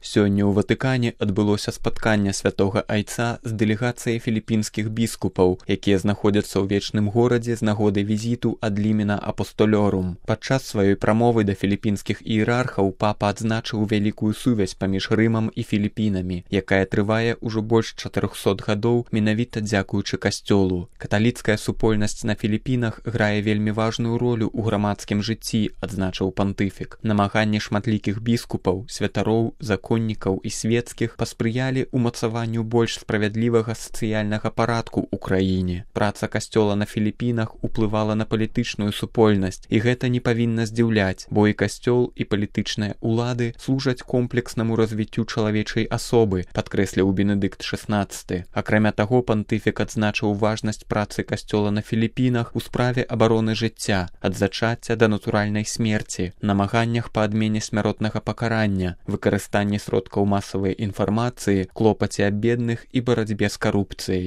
Сёння ў Ватыкане адбылося спатканне святога айца з дэлегацыяй філіпінскіх біскупаў, якія знаходзяцца ў вечным горадзе з нагоды візіту ад Лімена Апостолёрум. Падчас сваёй прамовы да філіпінскіх іерархаў папа адзначыў вялікую сувязь паміж Рымам і Філіпінамі, якая трывае ўжо больш 400 гадоў менавіта дзякуючы касцёлу. Каталіцкая супольнасць на Філіпінах грае вельмі важную ролю ў грамадскім жыцці, адзначыў пантыфік. Намаганні шматлікіх біскупаў, святароў, законнікаў і свецкіх паспрыялі ўмацаванню больш справядлівага сацыяльнага парадку ў краіне. Праца касцёла на Філіпінах уплывала на палітычную супольнасць, і гэта не павінна здзіўляць, бо і касцёл, і палітычныя ўлады служаць комплекснаму развіццю чалавечай асобы, падкрэсліў Бенедыкт XVI. Акрамя таго, пантыфік адзначыў важнасць працы касцёла на Філіпінах у справе абароны жыцця, ад зачацця да натуральнай смерці, намаганнях па адмене смяротнага пакарання, выкарыстанні сродкаў масавай інфармацыі, клопаце аб бедных і барацьбе з карупцыяй.